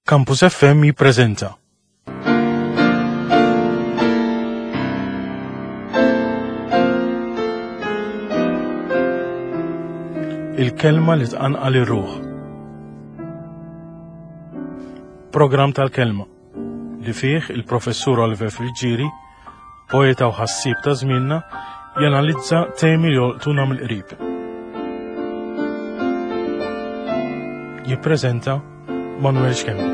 Campus FM jippreżenta. Il-kelma li tqanqal ir-ruħ. Programm tal-kelma li fih il-professur Oliver Friggieri, poeta u ħassieb ta' żmienna, janalizza temi li jolqtuna mill-qrib. Jippreżenta Manuel Schembri.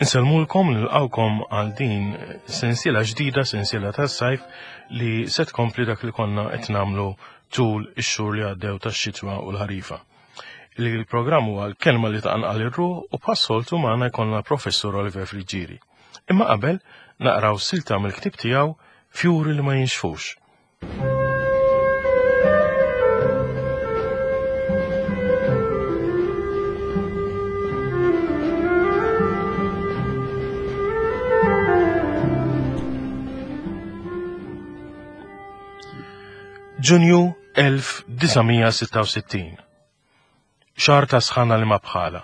Insellmulkom nilqawkom għal din sensiela ġdida, sensiela tas-sajf li se tkompli dak li konna qed nagħmlu tul ix-xhur li għaddew tax-xitwa u l-ħarifa. Il-programm huwa l-kelma li taqanqal ir-ruħ u bħas-soltu magħna jkollna professur Oliver Friggieri. Imma qabel naqraw silta mill-ktieb tiegħu Fjuri li ma jinxfux. Ġunju 1966. Xahar ta' sħana li ma bħala.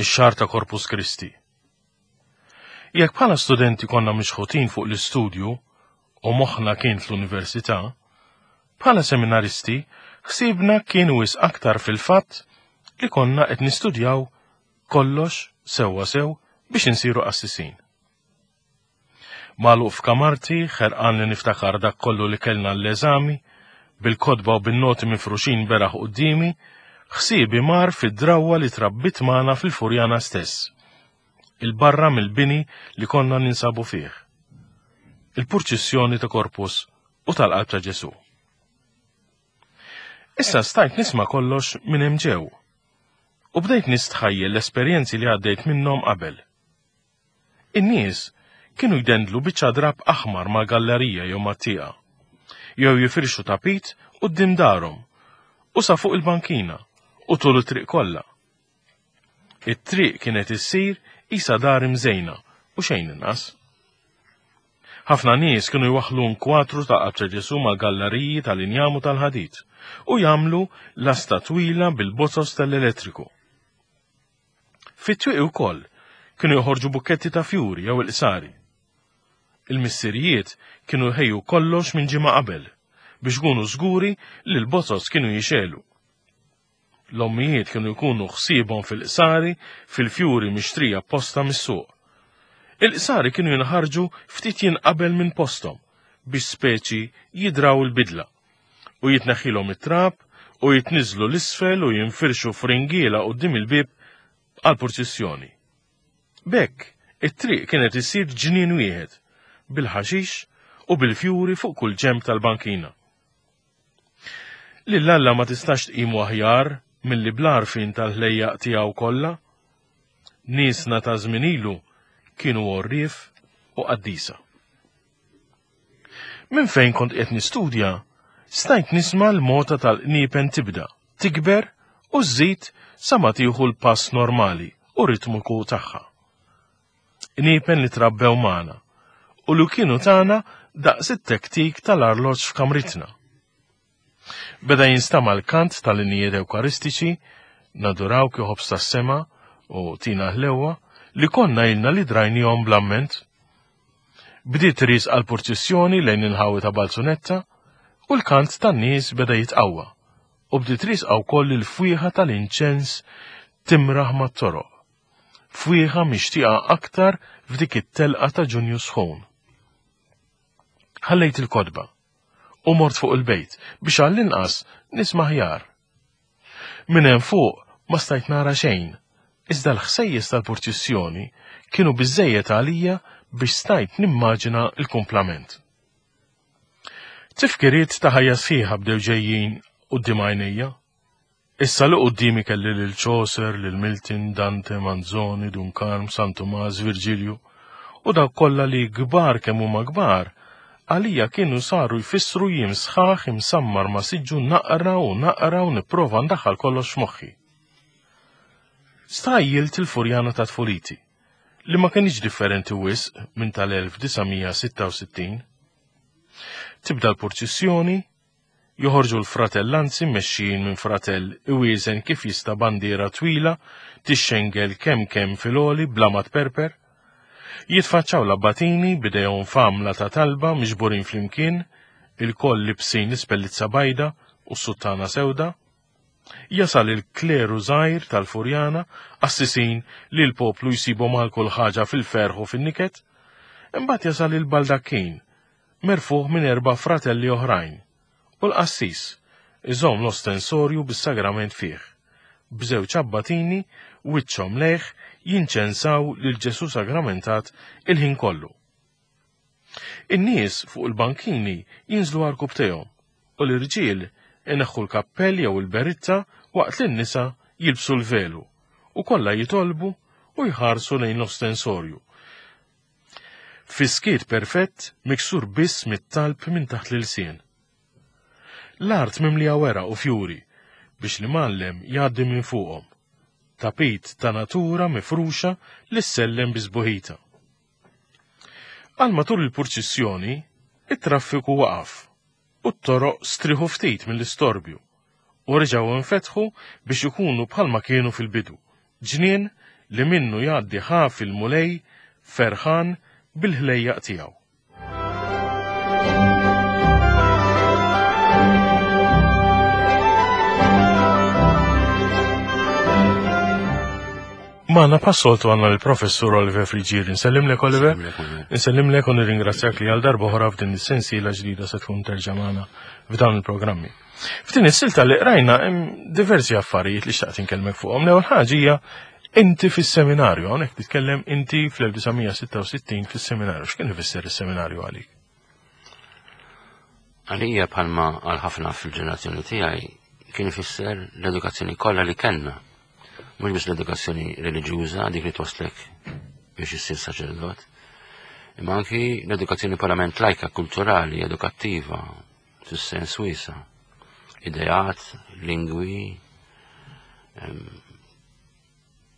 Ix-xahar ta' Corpus Christi. Jekk bħala studenti konna mixħutin fuq l-istudju u moħħna kien fl-università, bħala seminaristi ħsiebna kien wisq aktar fil-fatt li konna qed nistudjaw kollox sewwa sew biex insiru qassisin. Magħluq f'kamarti, ħerqan li niftakar dak kollu li kellna l-eżami, bil-kotba u bin-noti mifruxin beraħ quddiemi, ħsiebi mar fid-drawwa li trabbiet magħna fil-Furjana stess, 'il barra mill-bini li konna ninsabu fih. Il-purċissjoni ta' Corpus u tal-Qalb ta' Ġesù. Issa stajt nisma' kollox minn hemm ġew u bdejt nistħajjel l-esperjenzi li għaddejt minnhom qabel. In-nies kienu jdendlu biċċa drapp aħmar mal-gallerija jew mat-tieqa, jew jifirxu tapit quddiem darhom u sa fuq il-bankina u tul it-triq kollha. It-triq kienet issir qisha dar imżejna u xejn inqas. Ħafna nies kienu jwaħħlu nkwatru ta' Qalb ta' Ġesù mal-galleriji tal-injam u tal-ħadid u jagħmlu lasta twila bil-bozos tal-elettriku. Fit-twieqi wkoll kienu joħorġu bukketti ta' fjuri jew il-qsari. Il-missirijiet kienu jħejju kollox minn ġimgħa qabel biex ikunu żguri li l-bozoz kienu jixegħlu. L-ommijiet kienu jkunu ħsiebhom fil-qsari fil-fjuri mixtrija apposta mis-suq. Il-qsari kienu jinħarġu ftit jien qabel minn posthom biex speċi jidraw il-bidla. u jitneħħilhom it-trab u jitniżżlu 'l isfel u jinfirxu f'ringiela quddiem il-bieb għall-purċissjoni. B'hekk, it-triq kienet issir ġnien wieħed, bil-ħaxix u bil-fjuri fuq kull ġenb tal-bankina. Lil Alla ma tistax tqimu aħjar milli bl-għarfien tal-ħlejjaq tiegħu kollha. Niesna ta' żmien ilu kienu għorrief u qaddisa. Minn fejn kont qed nistudja, stajt nisma' l-mota tal-qniepen tibda, tikber u żżid sa ma tieħu l-pass normali u ritmiku tagħha. Qniepen li trabbew magħna u li kienu tagħna daqs it-tektik tal-arloġġ f'kamritna. Beda jinstama' l-kant tal-innijiet Ewkaristiċi, Nadurawk ja ħobż tas-sema u Tina ħlewwa, li konna ilna li drajnihom bl-amment. Bdiet riesqa l-purċissjoni lejn il-ħawi ta' Balzunetta u l-kant tan-nies beda jitqawwa u bdiet riesqa wkoll il-fwieħa tal-inċens timraħ mat-toroq. Fwieħa mixtieqa aktar f'dik it-telqa ta' Ġunju sħun. Ħallejt il-kotba u mort fuq il-bejt biex għall-inqas nisma' aħjar. Minn hemm fuq ma stajt nara xejn, iżda l-ħsejjes tal-purċissjoni kienu biżżejjed għalija biex stajt nimmaġina l-kumplament. Tifkiriet ta' ħajja sħiħa bdew ġejjin quddiem għajnejja. Issa li quddiemi kelli lil Chaucer, lil Milton, Dante, Manzoni, Dun Karm, San Tumas, Virgilju, u dawk kollha li kbar kemm huma kbar, għalija kienu saru jfissru jiem sħaħ imsammar ma' siġġu naqra u naqra u nipprova ndaħħal kollox f'moħħi. Stħajjilt il-Furjana ta' tfuliti, li ma kinitx differenti wisq minn tal-1966. Tibda l-purċissjoni, Joħorġu l-fratellanzi mmexxijin minn fratell iwieżen kif jista' bandiera twila tixxengel kemm kemm fil-għoli bla ma tperper. Jitfaċċaw l-abbatini b'idejhom f'għamla ta' talba miġburin flimkien, ilkoll libsin l-ispellizza bajda u s-suttana sewda. Jasal il-kleru żgħir tal-Furjana, qassisin li l-poplu jsibhom għal kull ħaġa fil-ferħ u fin-niket. Imbagħad jasal il-baldakkin, merfugħ minn erba' fratelli oħrajn, u l-qassis, iżomm l-ostensorju bis-sagrament fih, b'żewġ abbatini wiċċhom lejh jinċensaw lil Ġesù Sagramentat il-ħin kollu. In-nies fuq il-bankini jinżlu għarkupptejhom u l-irġiel ineħħu l-kappell jew il-beritta waqt li n-nisa jilbsu l-velu u kollha jitolbu u jħarsu lejn l-ostensorju. Fis-skiet perfett miksur biss mit-talb minn taħt l-ilsien. L-art mimlija weraq u fjuri biex l-imgħallem jgħaddi minn fuqhom. Tapit ta' natura mifruxa li ssellem bi sbuħita. Għal matul il-purċissjoni, it-traffiku waqaf u t-toroq strieħu ftit mill-istorbju u reġgħu nfetħu biex ikunu bħalma kienu fil-bidu, ġnien li minnu jgħaddi ħafi l-Mulej ferħan bil-ħlejjaq tiegħu. Magħna bħas-soltu għandna l-Professur Oliver Friġieri. Nsellimlek Oliver. Nsellimlek u nirringrazzjak li għal darba oħra f'din is-sensiela ġdida se tkun terġa' magħna f'dawn il-programmi. F'din is-silta li qrajna hemm diversi affarijiet li xtaqt inkellmek fuqhom. L-ewwel ħaġa hija inti fis-seminarju, hawnhekk titkellem inti fl-1966 fis-seminarju. X'kien ifisser is-seminarju għalik? Għalija bħalma għal ħafna fil-ġenerazzjoni tiegħi kien ifisser l-edukazzjoni kollha li kellna. Mhux biss l-edukazzjoni reliġjuża dik li twaslek biex issir saċerdot, imma anki l-edukazzjoni purament lajka, kulturali, edukattiva, fis-sens wiesa. Ideat, lingwi,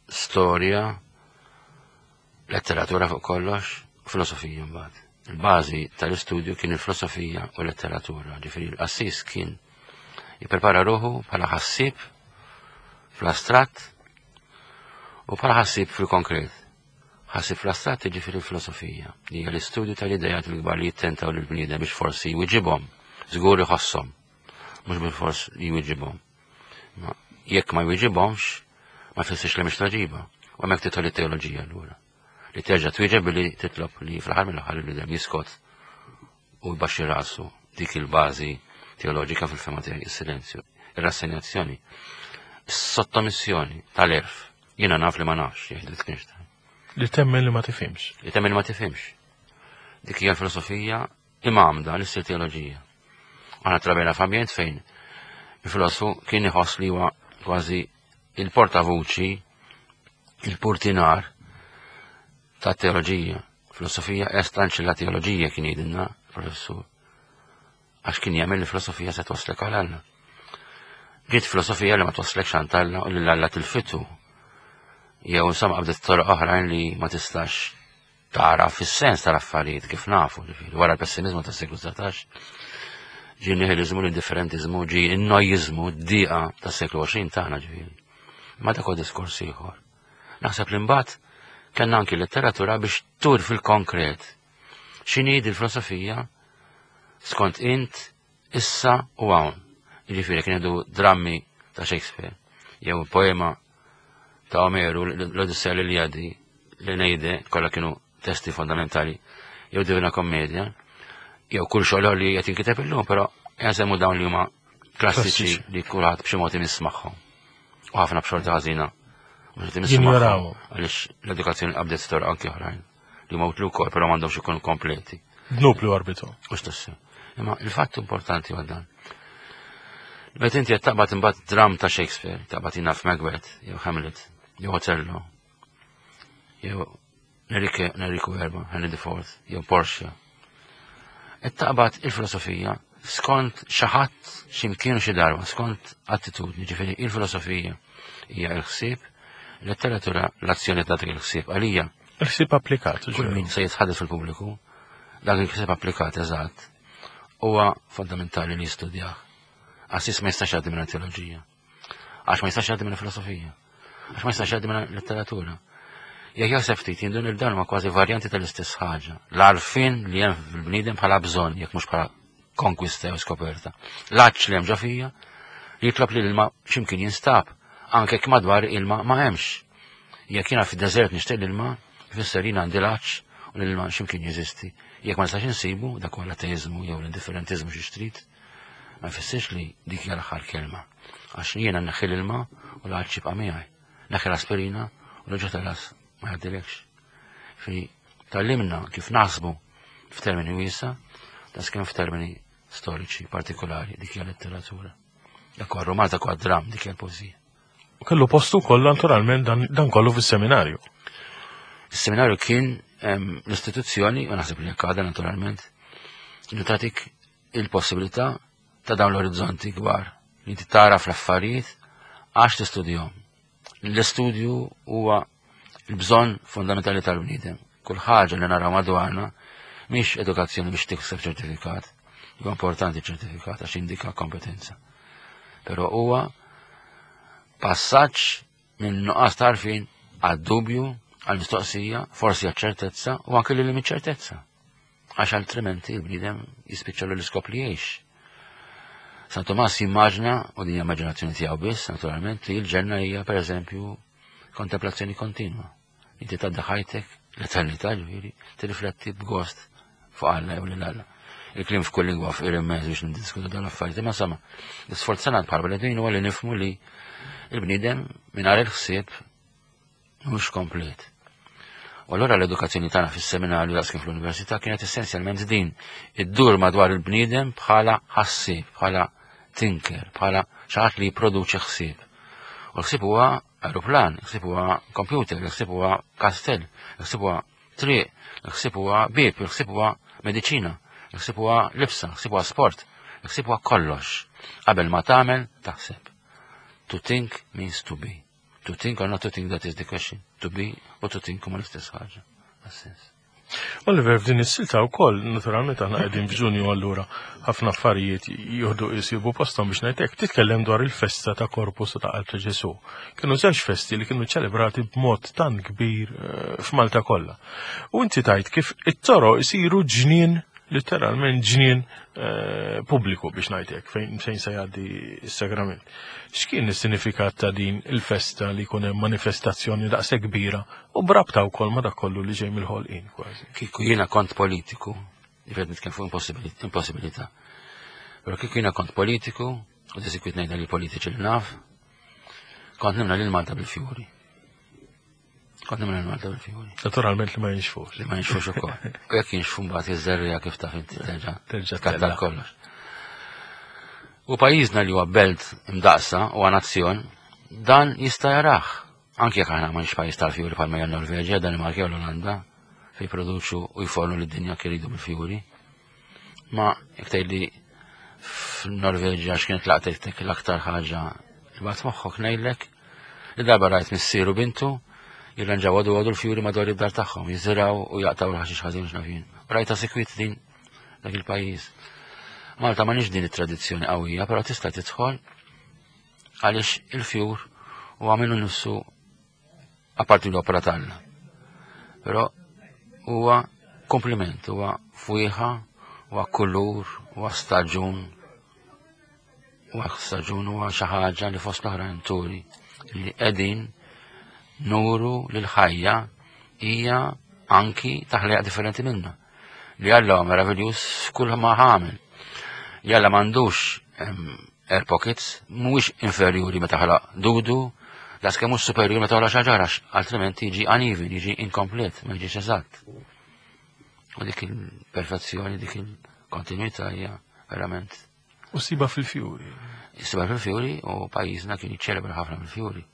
storja, letteratura fuq kollox, filosofija mbagħad. Il-bażi tal-istudju kien il-filosofija u letteratura, ġifieri l-qassis kien jipprepara ruħu bħala ħassieb fl-astratt u bħala ħassieb fil-konkret. Ħassieb fl-astratt jiġifieri l-filosofija, li hija l-istudju tal-idejat il-kbar li jittentaw lill-bniedem biex forsi jwiġibhom, żgur iħosshom, mhux bilfors jwiġibhom. Ma jekk ma jwiġibhomx, ma jfissirx li mhix tweġiba. U hemmhekk tidħol it-teoloġija allura. Li terġa' twieġeb billi titlob li fl-aħħar mill-aħħar il-bniedem jiskot u jbaxxi rasu dik il-bażi teoloġika fil-fema tiegħi is-silenzju, ir-rassenjazzjoni, is-sottomissjoni tal-erf. Jiena naf li ma nafx, jgħid Wittgenstein. Li temmen li ma tifhimx. Li temmen li ma tifhimx. Dik hija l-filosofija imgħammda li ssir teoloġija. Aħna trabejna f'ambjent fejn il-filosofu kien iħoss li huwa kważi il-portavuċi, il-purtinar ta' teoloġija. Filosofija est ancilla teoloġija kien jgħidilna professur. Għax kien jagħmel li filosofija se twaslek għal Alla. Ġiet filosofija li ma twaslekx għand Alla u lil Alla tilfitu. Jew insomma qabdet toroq oħrajn li ma tistax tara fis-sens tal-affarijiet kif nafu, ġifieri wara l-pessimizmu tas-seklu 19 ġie nihilizmu, l-indifferentizmu, ġie n-nojizmu, d-diqa tas-seklu 20 tagħna ġifieri. Ma dak huwa diskors ieħor. Naħseb li mbagħad kellna anki letteratura biex tur fil-konkret x'inhi il-filosofija skont int issa u hawn. Jiġifieri kien jgħidu drammi ta' Shakespeare jew poema ta' Omeru, l-Odissea l-Iliadi, l-Eneide, kollha kienu testi fondamentali, jew Divina Kommedja, jew kull xogħol li qed jinkiteb illum, però jasemmu dawn li huma klassiċi li kulħadd b'xi mod imiss magħhom. U ħafna b'xorta ħażina. Jinjorawhom. Għaliex l-edukazzjoni qabdet storja anki oħrajn li huma utli wkoll, però m'għandhomx ikunu kompleti. Dnub li warbitu. U x'tassew. Imma il-fatt importanti huwa dan. Meta inti qed taqbad imbagħad dram ta' Shakespeare, taqbad jina f'Macbeth, jew Hamlet, jew Othello, jew Enrico Erba, Henry IV, jew Portia. Qed taqbad il-filosofija skont xi ħadd x'imkien xi darba, skont attitudni, ġifieri il-filosofija hija l-ħsieb, letteratura l-azzjoni ta' dak il-ħsieb għalija. Il-ħsieb applikat. Kull min se jitħaddet fil-pubbliku, dak il-ħsieb applikat eżatt, huwa fondamentali li jistudjah. Qassis ma jistax jgħaddi minn teoloġija. Għax ma jistax jgħaddi minn filosofija. Għax ma jistax jgħaddi minn letteratura. Jekk jaħseb ftit jindun il-dan ma kważi varjanti tal-istess ħaġa. L-għarfien li hemm fil-bniedem bħala bżonn, jekk mhux bħala konkwista jew skoperta. L-għatx li hemm ġo fija li jitlob li l-ilma x'imkien jinstab, anke jekk madwar ilma ma hemmx. Jekk jiena fid-deżert nixtieq l-ilma, ifisser jien għandi l-għatx u l-ilma x'imkien jeżisti. Jekk ma nistax insibu, dak huwa l-ateizmu jew l-indifferentiżmu xi trid, ma jfissirx li dik hija l-aħħar kelma. Għax jiena neħħi l-ilma u l-għatx jibqa' miegħi. Neħħi l-aspirina u l-ġo tal-ras ma jgħaddilekx. Fi tallimna kif naħsbu f'termini wiesa, das kemm f'termini storiċi partikolari dik hija letteratura. Dak huwa romanz, dak huwa dram, dik hija l-poeżija. U kellu postu wkoll naturalment dan, dan kollu fis-seminarju. Is-seminarju kien l-istituzzjoni, u naħseb li jekk għadha naturalment, li tagħtik il-possibilità ta' dawn l-orizzonti kbar li inti tara fl-affarijiet għax tistudjhom. L-istudju huwa l-bżonn fundamentali tal-bniedem. Kull ħaġa li naraw madwarna mhix edukazzjoni biex tikseb ċertifikat. Huwa importanti ċertifikat għax indika kompetenza. Però huwa passaġġ minn nuqqas tarfin għad-dubju, għal-mistoqsija, forsi għal-ċertezza u anke lil ċertezza. Għax altrimenti il-bniedem jispiċċa l-iskop li jgħix. San Tomas jimmaġna, u din immaġinazzjoni tiegħu biss, naturalment, li l-ġenna hija pereżempju kontemplazzjoni kontinwa. Inti tgħaddi ħajtek l-eternità ġifieri, tirrifletti b'gost fuq Alla jew lil Alla. Il-kliem f'kull lingwa f'qir immens biex niddiskutu dan l-affarijiet, imma sama, l-isforz tagħna bħala bnedmin huwa li nifhmu li l-bniedem mingħajr il-ħsieb mhux komplet. U allura l-edukazzjoni tagħna fis-seminarju daqs kif fl-università kienet essenzjalment din, iddur madwar il-bniedem bħala ħassieb, bħala tinker, bħala xi ħadd li jipproduċi ħsieb. U l-ħsieb huwa aeroplan, il-ħsieb huwa computer, il-ħsieb huwa kastell, il-ħsieb huwa triq, il-ħsieb huwa bieb, il-ħsieb huwa mediċina, il-ħsieb huwa libsa, il-ħsieb huwa sport, il-ħsieb huwa kollox. Qabel ma tagħmel taħseb. To think means to be. To think or not to think, that is the question. To be u to think huma l-istess ħaġa. Għas-sens. Oliver, f'din is-silta wkoll, naturalment aħna qegħdin f'Ġunju allura ħafna affarijiet jieħdu jsibu posthom biex ngħidlek, titkellem dwar il-festa ta' Korpus u ta' Qalb ta' Ġesù. Kienu żewġ festi li kienu ċelebrati b'mod tant kbir eh, f'Malta kollha. U inti tajt kif it-toro jsiru ġnien literalment ġnien eh, pubbliku biex ngħidlek fejn fejn se jgħaddi s-sagrament. X'kien is-sinifikat ta' din il-festa li jkun hemm manifestazzjoni daqshekk kbira u brabta wkoll ma' dak kollu li ġej mill-ħolqien kważi? Kieku jiena kont politiku, jiġifieri nitkellem fuq impossibilità. Però kieku jiena kont politiku, u disikwit ngħidha li politiċi li naf, kont nimla lil Malta bil-fjuri. Kont nimla lil Malta bil-fjuri. Naturalment li ma jinxfux. Li ma jinxfux ukoll. U jekk jinxfu mbagħad iż-żerriegħa kif taf inti terġa' terġa' tkattar kollox. U pajjiżna li huwa belt imdaqsa u nazzjon, dan jista' jarah. Anke jekk aħna m'għandx pajjiż tal-fjuri bħalma hija Norveġja, Danimarka jew l-Olanda, fejn jipproduċu u jfornu lid-dinja kif iridu bil-fjuri. Ma jekk tgħidli f'Norveġja x'kienet laqtek l-aktar ħaġa li bagħat moħħok ngħidlek li darba rajt missieru bintu jirranġaw għadu għadu l-fjuri madwar id-dar tagħhom, jiżiraw u jaqtaw l-ħaxix ħażin x'nafin. Rajta sikwit din dak il-pajjiż. Malta ma nix din it-tradizzjoni qawwija, però tista' tidħol għaliex il-fjur huwa minnu nifsu apparti l-opera tagħna. Però huwa kompliment, huwa fwieħa, huwa kulur, huwa staġun, huwa staġun huwa xi ħaġa li fost l-oħrajn turi li qegħdin nuru li l-ħajja hija anki taħlejaq differenti minna. Li Alla huwa meraviljuż f'kull ma ħamel. Li Alla m'għandux air pockets mhuwiex inferjuri meta ħalaq dudu, daqs kemm mhux superjuri meta ħalaq xaġar għax altrimenti jiġi uneven, jiġi inkomplet, ma jiġix eżatt. U dik il-perfezzjoni, dik il-kontinuità hija verament. U siba fil-fjuri. Siba fil-fjuri u pajjiżna kien jiċċelebra ħafna fil-fjuri.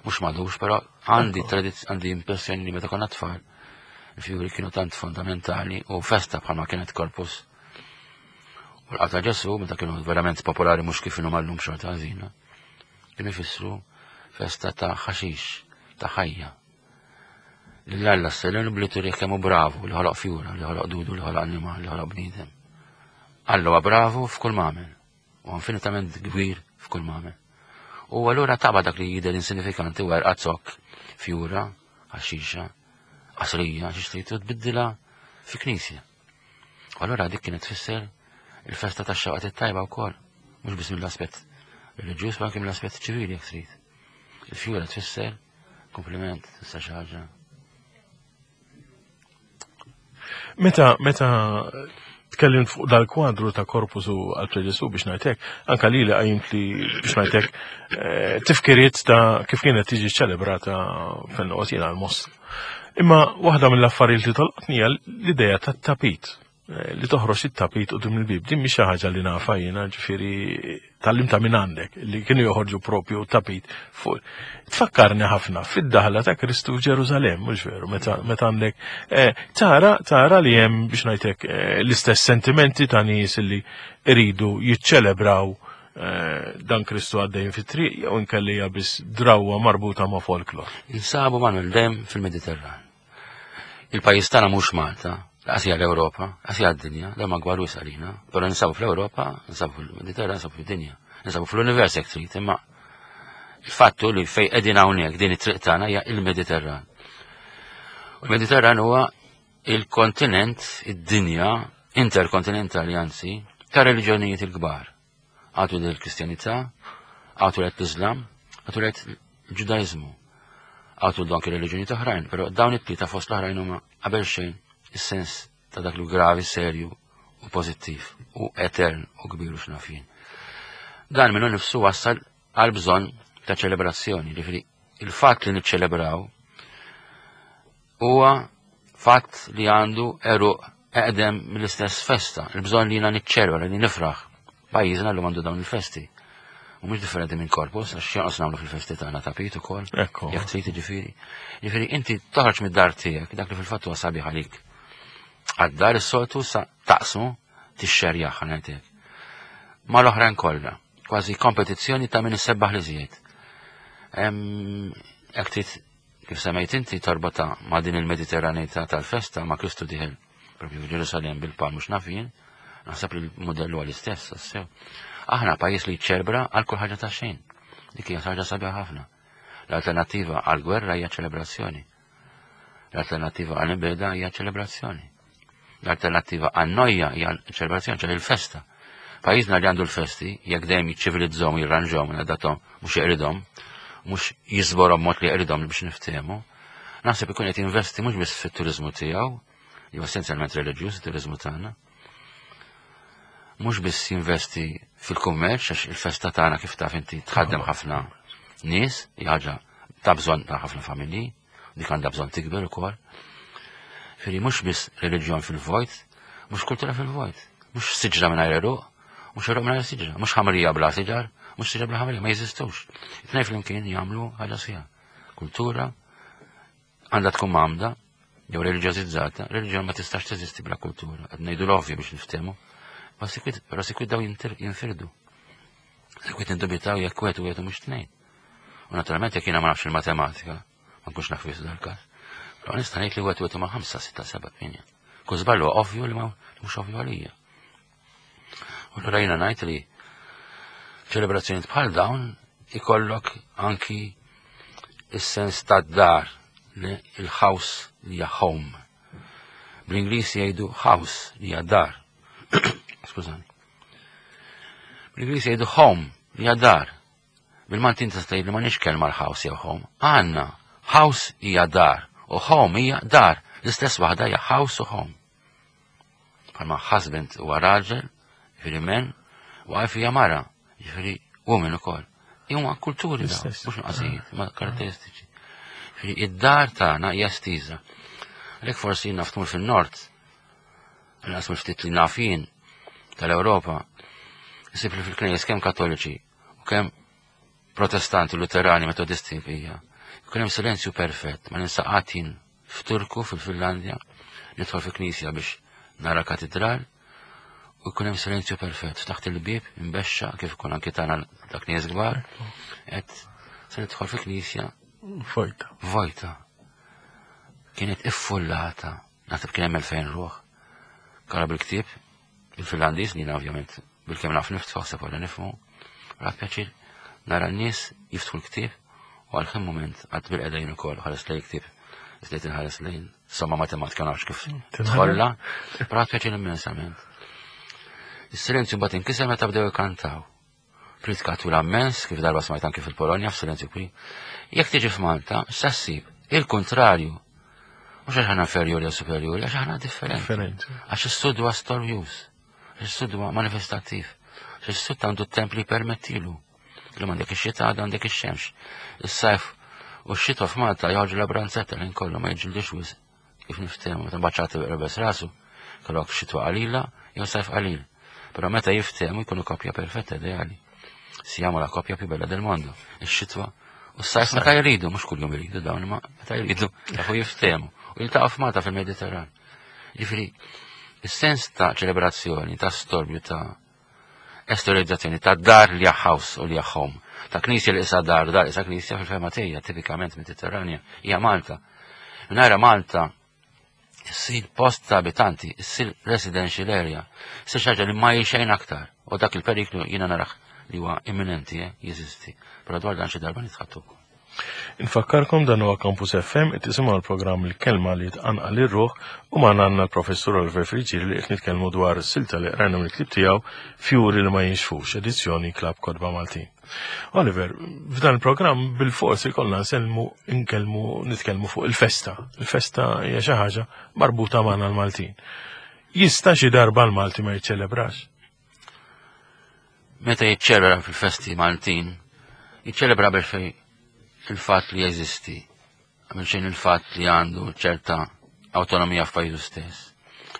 Mhux madux, però għandi għandi impressjoni li meta konna tfal, il-fjuri kienu tant fondamentali u festa bħalma kienet korpus U l-qata Ġesu, meta kienu verament popolari mhux kif inhom għallum xorta ħażina, kienu jfissru festa ta' ħaxix, ta' ħajja. Lil Alla s-selenu bli turih kemm hu bravu li ħoloq fjura, li ħoloq dudu, li ħoloq annimal, li ħoloq bniedem. Alla huwa bravu f'kull m'għamel. U infinitament kbir f'kull ma għamel. U allura taba dak li jidher insinifikanti werqa zokk, fjura, ħaxixa, qasrija, xi trid u tbiddilha fi knisja. U allura dik kienet tfisser il-festa tax-xewqat it-tajba wkoll, mhux biss mill-aspett reliġjuż, ma anke mill-aspett ċivili jekk trid. Il-fjura tfisser kompliment, tfisser xi ħaġa. Meta meta tkellimt fuq dal-kwadru ta' Corpus u għal Ġesu biex ngħidlek, anka lili qajjimt li biex ngħidlek eh, tifkiriet ta' kif kienet tiġi ċelebrata fejn noqgħod jiena l-Mosta. Imma waħda mill-affarijiet li tolqotni hija l-idea tat-tapit eh, li toħroġ it-tapit qudiem il-bib. Din mhix xi ħaġa li nafa jiena, ġifieri Tgħallimtha minn għandek li kienu joħorġu propju tapit fuq. Tfakkarni ħafna fid-daħla ta' Kristu f'Ġerusalem, mhux veru, meta meta għandek eh, tara tara li hemm biex ngħidlek eh, l-istess sentimenti ta' nies li iridu jiċċelebraw eh, dan Kristu għaddejn fit-triq jew inkelli hija biss drawwa marbuta ma' folklor. Insabu Manuel dejjem fil-Mediterran. Il-pajjiż tagħna mhux Malta, laqas hija l-Ewropa, laqas hija d-dinja, dan ma gwar wisq għalina, però ninsabu fl-Ewropa, ninsabu fil-Mediterran, ninsabu fid-dinja, ninsabu fl-univers jekk trid, imma il-fattu li fej qegħdin hawnhekk din it-triq tagħna hija il-Mediterran. U l-Mediterran huwa il-kontinent, id-dinja interkontinentali anzi, ta' reliġjonijiet il-kbar. Għatu l-Kristjanità, għatu l-Islam, għatu l-Ġudaizmu, għatu anki reliġjoni oħrajn, però dawn it-tlieta fost l-oħrajn huma qabel xejn is-sens ta' dak li gravi, serju u pożittiv u etern u kbir u x'naf jien. Dan minnu nifsu wassal għal bżonn ta' ċelebrazzjoni, ġifieri il-fatt li niċċelebraw Huwa fatt li għandu għeruq eqdem mill-istess festa, il-bżonn li jiena niċċelebra, li nifraħ. Pajjiżna llum għandu dawn il-festi. U mhux differenti minn Corpus, għax x'jonqos nagħmlu fil-festi tagħna tapit ukoll. Ekku. Jekk trid jiġifieri. Jiġifieri inti toħroġ mid-dar tiegħek, dak li fil-fatt huwa sabiħ għalik. Għad-dar is-soltu sa taqsmu tixxerjah ħa ngħidlek. Mal-oħrajn kollha, kważi kompetizzjoni ta' min isebbaħ li żjed. Jekk trid Kif semmejt inti torbotha ma' din il-Mediterraneità tal-festa ma' Kristu dieħel propju f'Ġerusalemm bil-palm mhux naf jien, naħseb li l-mudell huwa l-istess sew. Aħna pajjiż li jċelebra għal kull ħaġa ta' xejn. Dik hija ħaġa sabiħa ħafna. L-alternattiva għal gwerra hija ċelebrazzjoni. L-alternattiva għal imbeda hija ċelebrazzjoni. L-alternattiva għan-nojja hija ċelebrazzjoni, ċe il-festa. Pajjiżna li għandu l-festi, jekk dejjem jiċċivilizzhom, jirranġhom, jadathom, mhux jeqridhom, mhux jiżborhom mod li jeqridhom biex niftehmu, naħseb ikun qed jinvesti mhux biss fit-turiżmu tiegħu, li huwa essenzjalment reliġjuż it-turiżmu tagħna, mhux biss jinvesti fil-kummerċ għax il-festa tagħna kif taf inti tħaddem ħafna nies, hija ħaġa ta' bżonn ta' ħafna familji, dik għandha bżonn tikber ukoll. Firri mhux biss reliġjon fil-vojt, mhux kultura fil-vojt, mhux siġra mingħajr eruq, mhux eruq mingħajr siġra, mhux ħamrija bla siġar, mhux siġra bla ħamrija, ma jeżistux. It-tnejn flimkien jagħmlu ħaġa sħiħa. Kultura għandha tkun mgħammda jew reliġjożizzata, reliġjon ma tistax teżisti bla kultura. Qed ngħidu l-ovvju biex niftehmu. Ma sikwit, però sikwit daw jinfirdu. Sikwit indubitaw jekk wieħed u wieħed mhux tnejn. U naturalment jekk jiena ma nafx il-matematika, ma nkunx naf wieħed dal-każ. Però nista' ngħid li wieħed wieħed ma' 5, 6, 7, 8. Kull żball huwa ovvju li ma mhux ovvju għalija. U allura jiena ngħid li ċelebrazzjonijiet bħal dawn ikollok anki is-sens tad-dar, il-house li hija home. Bl-Ingliż jgħidu house li hija dar. Skużani. Bl-Ingliż jgħidu home li hija dar. Bil-Malti inti tista' tgħid li m'għandniex kelma l-house jew home. Għandna. House hija dar u home hija dar. L-istess waħda hija house u home. Bħalma husband huwa raġel, jiġifieri men, wife hija mara, jiġifieri woman ukoll. Huma kulturi dawn, mhux nuqqasijiet, ma karatteristiċi. Jiġifieri id-dar tagħna hija estiża. Għalhekk forsi naf tmur fin-nord, Inqas mill-ftit li naf jien tal-Ewropa, isib li fil-knejjes kemm Kattoliċi u kemm Protestanti, Luterani, Metodisti hija. Jkun hemm silenzju perfett, ma ninsa qatt jien f'Turku fil-Finlandja, nidħol fi knisja biex nara katedral u jkun hemm silenzju perfett. Ftaħt il-bieb imbexxa kif ikun anki tagħna ta' knejjes kbar, qed se nidħol fi knisja vojta. Vojta. Kienet iffullata. Naħseb kien hemm 2000 ruħ. Kara bil-ktieb, il-Finlandiż li ovvjament Bilkemm naf niftħu ħseb wara nifhmu. Rat pjaċir nara n-nies jiftħu l-ktieb u għal ħin mument għad bil-qedajn ukoll ħares lejn ktieb. Iżdejt inħares lejn somma matematika nafx kif tħolla. Rat pjaċir immensament. Is-silenzju mbagħad inkiser meta bdew ikantaw. Pritka twila immens, kif darba smajt anki fil-Polonja f'silenzju kbir. Jekk tiġi f'Malta, sa ssib il-kuntrarju. Mhux għax aħna inferjuri jew superjuri, għax aħna differenti. Għax is-sud huwa storjuż, għax is-sud huwa manifestattiv, għax is-sud għandu t-temp li jpermettilu. Illum għandek ix-xita, għadha għandek ix-xemx. Is-sajf u x-xitwa f'Malta joħorġu la branzetta l kollu ma jiġġildux wisq. Kif niftehmu, meta mbagħad rebes rasu, kellok xitwa qalila jew sajf qalil. Però meta jiftehmu jkunu koppja perfetta ideali. Siamo la koppja più bella del mondo. Ix-xitwa u s-sajf meta jridu, mhux kuljum jridu dawn, imma meta jridu jafu jiftehmu u jiltaqgħu f'Malta fil-Mediterran. Jiġifieri, is-sens ta' ċelebrazzjoni, ta' storbju ta' esteriorizzazzjoni ta' dar li house u li home, ta' knisja li isa dar, dar isa knisja fil-fema tiegħi tipikament Mediterranja hija Malta. Mingħajr Malta issir post ta' abitanti, issir residential area, issir xi ħaġa li ma hi xejn aktar. U dak il-periklu jiena narah li huwa imminenti, eh, jeżisti. Però dwar dan xi darba nitħattu wkoll. Infakkarkom dan huwa Campus FM qed tisimgħu l-programm Il-Kelma li tqanqal ir-ruħ u magħna għandna l-Professur Oliver Friggieri li qed nitkellmu dwar silta li qrajna mill-ktieb tiegħu Fjuri li ma jinxfux, edizzjoni Klabb Kotba Maltin. Oliver, f'dan il-programm bil-fors ikollna nsellmu nkellmu nitkellmu fuq il-festa. Il-festa hija xi ħaġa marbuta magħna l-Maltin. Jista' xi darba l-Malti ma jiċċelebrax? Meta jiċċelebra fil-festi Maltin, jiċċelebra biex fej il-fatt li jeżisti, għamil xejn il-fatt li għandu ċerta autonomija f'pajjiżu stess.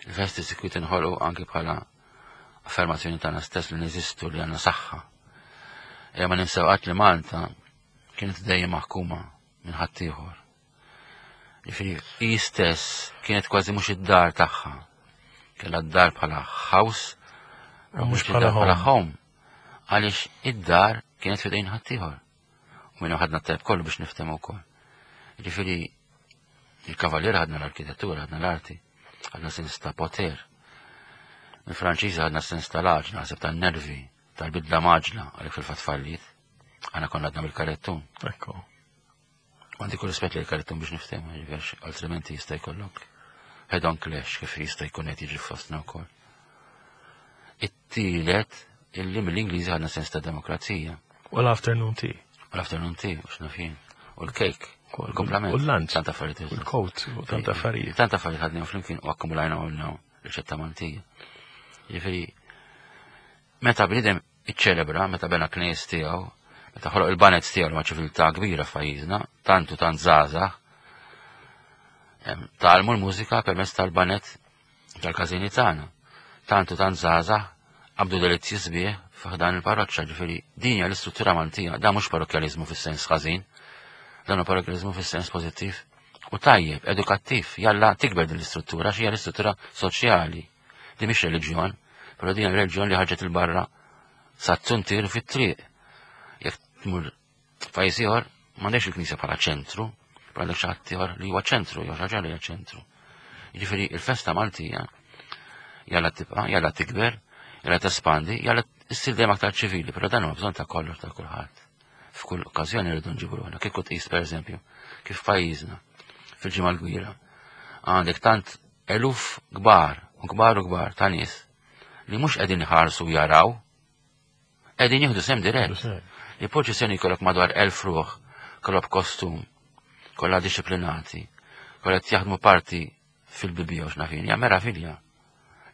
Il-festi sikwit inħolqu anki bħala affermazzjoni tagħna stess li neżistu li għandna saħħa. Ejja ma ninsew qatt li Malta kienet dejjem maħkuma minn ħaddieħor. Jiġifieri hi stess kienet kważi mhux id-dar tagħha. Kellha d-dar bħala house, mhux bħala home. Għaliex id-dar kienet fidejn ħaddieħor. U minn ħadna t-tajb kollu biex niftehmu wkoll. Jiġifieri il-kavallier ħadna l-arkitettura, ħadna l-arti, ħadna sens ta' poter. Mill-Franċiżi ħadna sens tal-għaġla, naħseb tan-nervi, tal-bidla maġla, għalhekk fil-fatt falliet. Għana konna għadna bil-karettun. Ekku. Għandi kull rispett li l-karettun biex niftehmu, ġifieri altrimenti jista' jkollok head on clash kif jista' jkun qed jiġri fostna wkoll. It-tielet illi mill-Ingliżi għandna sens ta' demokrazija. U l-afternoon tea. U l-afternoon tea, u x'naf jien. U l-cake. U l-komplament. U l-lunch. Tant affarijiet. U l-coat, u tant affarijiet. Tant affarijiet ħadni flimkien u akkumulajna u riċetta Maltija. Ġifieri, meta bniedem iċċelebra, meta bena knejjes tiegħu, meta ħoloq il-baned tiegħu li ma ċiviltà kbira f'pajjiżna, tant u tant żgħażagħ, tgħallmu l-mużika permezz tal-baned tal-każini tagħna. Tant u tant żgħażagħ qabdu delizzji sbieħ f'ħdan il-parroċċa, ġifieri din hija l-istruttura Maltija, dan mhux parrokkjaliżmu fis-sens ħażin, dan hu parrokkjaliżmu fis-sens pożittiv u tajjeb, edukattiv, jalla tikber din l-istruttura, xi hija l-istruttura soċjali. Di mhix reliġjon, però din reliġjon li ħarġet il-barra sa t-tuntir fit-triq. Jekk tmur pajjiż ieħor, m'għandekx il-knisja bħala ċentru, però għandek xi ħadd ieħor li huwa ċentru, jew xi ħaġa li hija ċentru. Jiġifieri il-festa Maltija jalla tibqa', jalla tikber, jalla tespandi, jalla issir dejjem aktar ċivili, però dan huwa bżonn ta' kollox ta' kulħadd. F'kull okkażjoni rridu nġibu ruħna. Kieku tqis pereżempju kif pajjiżna fil-ġimgħa l-kbira għandek tant eluf kbar u kbar u kbar ta' nies li mhux qegħdin iħarsu jaraw, qegħdin jieħdu sem dirett. Li proċessjoni jkollok madwar 1000 ruħ, kollha b'kostum, kollha disciplinati, kollha qed jaħdmu parti fil-bibija u x'nafin, hija meravilja.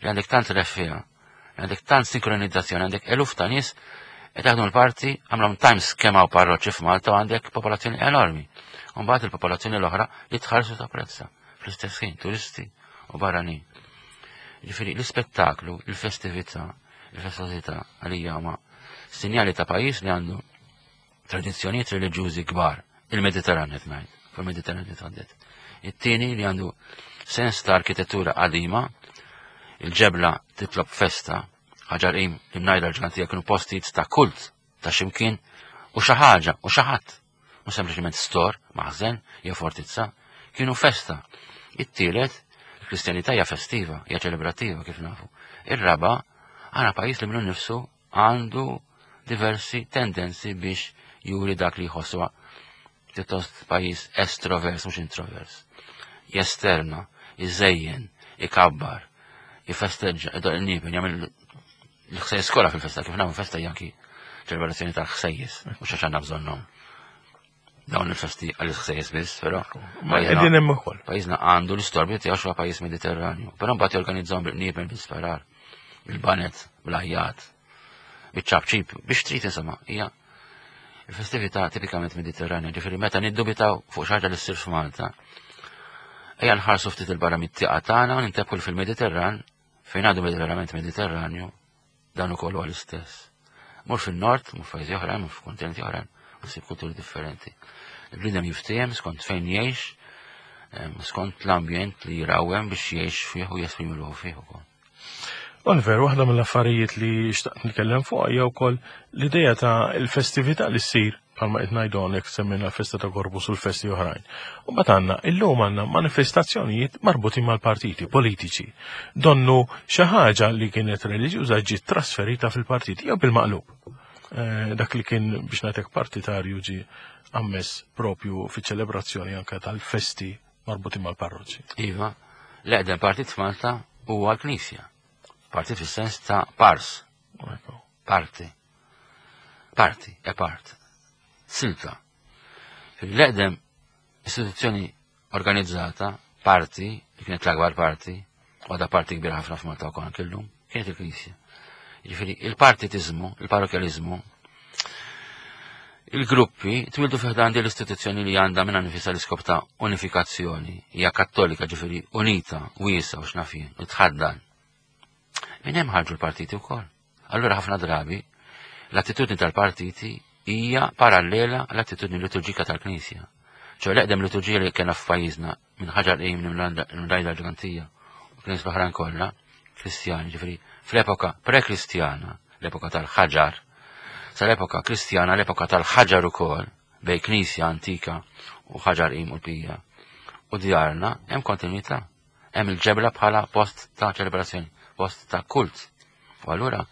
Li għandek tant reffiha, li għandek tant sinkronizzazzjoni, għandek eluf ta' nies qed jaħdmu l-parti għamlhom times kemm hawn parroċċi f'Malta u għandek popolazzjoni enormi. U mbagħad il-popolazzjoni l-oħra li tħarsu tapprezza fl-istess ħin turisti u barranin. Ġifieri l-ispettaklu, il-festività, il-festosità għalija huma sinjali ta' pajjiż li għandu tradizzjonijiet reliġjużi kbar, il-Mediterran qed ngħid, fuq il-Mediterran nitħaddet. It-tieni li għandu sens ta' arkitettura qadima, il-ġebla titlob festa, ħaġar qim li mnajda l-ġgantija kienu postijiet ta' kult ta' ximkien u xi ħaġa u xi ħadd. Mhux sempliċement stor, maħżen jew fortizza, kienu festa. It-tielet, il-Kristjanità hija festiva, hija ċelebrattiva kif nafu. Ir-raba' Għana pajjiż li minnu nifsu għandu diversi tendenzi biex juri dak li jħossu pjuttost pajjiż estrovers mhux introvers. Jesterna, iżejjen, ikabbar, jifesteġġa, idoq il-niepen, jagħmel l-ħsejjes kollha fil-festa, kif nagħmlu festa janki ċelebrazzjoni tal-ħsejjes, mhux għax għandna bżonnhom. Dawn il-festi għal ħsejjes biss, però. Qegħdin hemm ukoll. Pajjiżna għandu l-istorbju tiegħu xi pajjiż Mediterranju, però mbagħad jorganizzahom bil-qniepen bil-sparar, bil-banet, bl-ajjat, biċ-ċapċip, biex trid insomma, hija il-festività tipikament Mediterranja, ġifieri meta niddubitaw fuq xi ħaġa li ssir f'Malta. Ejja nħarsu ftit il-barra mit-tieqa tagħna u nintebħu fil-Mediterran fejn għadu verament Mediterranju, dan ukoll huwa l-istess. Mur fin-nord, mur f'pajjiżi oħrajn, mur f'kontinenti oħrajn, u ssib kulturi differenti. Il-bniedem jiftiehem skont fejn jgħix, skont l-ambjent li jrawhem biex jgħix fih u jesprimi ruħu fih ukoll. Oliver, waħda mill-affarijiet li xtaqt nitkellem fuq hija wkoll l-idea ta' l-festività li ssir bħalma qed ngħidu hawnhekk semmejna l-festa ta' Gorbus u l-festi oħrajn. U mbagħad għandna illum għandna manifestazzjonijiet marbutin mal-partiti politiċi. Donnu xi ħaġa li kienet reliġjuża ġiet trasferita fil-partiti jew bil-maqlub. Eh, dak li kien biex nagħtek partitarju ġi ammess propju fiċ-ċelebrazzjoni anke tal-festi marbutin mal-parroċċi. Iva, l-eqdem partit f'Malta huwa l-Knisja. Partit fis-sens ta' pars. Parti. Parti, e part. Silta. L-eqdem istituzzjoni organizzata, parti, li kienet l-akbar parti, u għadha parti kbira ħafna f'Malta wkoll anke llum, kienet il-Knisja. Jiġifieri il-partitizmu, il-parrokjalizmu, il-gruppi twildu fi ħdan din l-istituzzjoni li għandha minn nifisha l-iskop ta' unifikazzjoni, hija kattolika ġifieri unita, wiesa u x'naf jien, u tħaddan. Minn hemm ħarġu l-partiti wkoll. Allura ħafna drabi l-attitudni tal-partiti hija parallela l-attitudni liturġika tal-Knisja. ċo l-eqdem liturġija li kena f'pajjiżna minn ħaġar qim minn rajda ġgantija u knisja l-oħrajn kollha, Kristjani, ġifieri fl-epoka pre-Kristjana, l-epoka tal-ħaġar, sal-epoka Kristjana, l-epoka tal-ħaġar ukoll, bej knisja antika u ħaġar qim u l-pija. U djarna hemm kontinuità. Hemm il-ġebla bħala post ta' ċelebrazzjoni, post ta' kult. U allura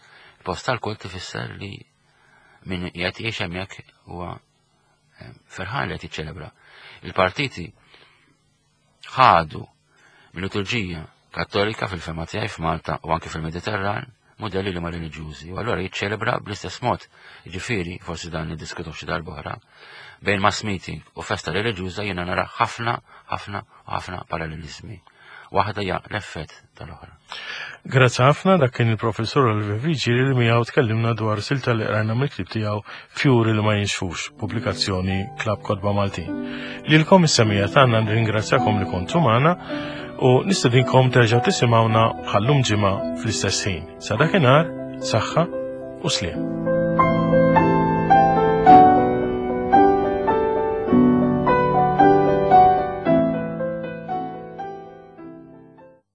post tal-kult ifisser li min qiegħed jgħix hemmhekk huwa eh, ferħan li qed jiċċelebra. Il-partiti ħadu mill-liturġija kattolika fil-fema tiegħi f'Malta u anke fil-Mediterran modelli li ma reliġjużi u allura jiċċelebra bl-istess mod. Jiġifieri, forsi dan niddiskutu xi darba oħra, bejn mass meeting u festa reliġjuża jiena nara ħafna, ħafna u ħafna parallelizmi. Waħda hija l-effett tal-oħra. Grazzi ħafna dak kien il-professur Oliver Viġi li miegħu tkellimna dwar silta li qrajna mill-ktieb tiegħu Fjuri li ma jinxfux, pubblikazzjoni Klabb Kotba Maltin. Lilkom is-semija tagħna nirringrazzjakom li kontu magħna u nistedinkom terġgħu tisimgħuna bħallum ġimgħa fl-istess ħin. Sa dakinhar, saħħa u sliem.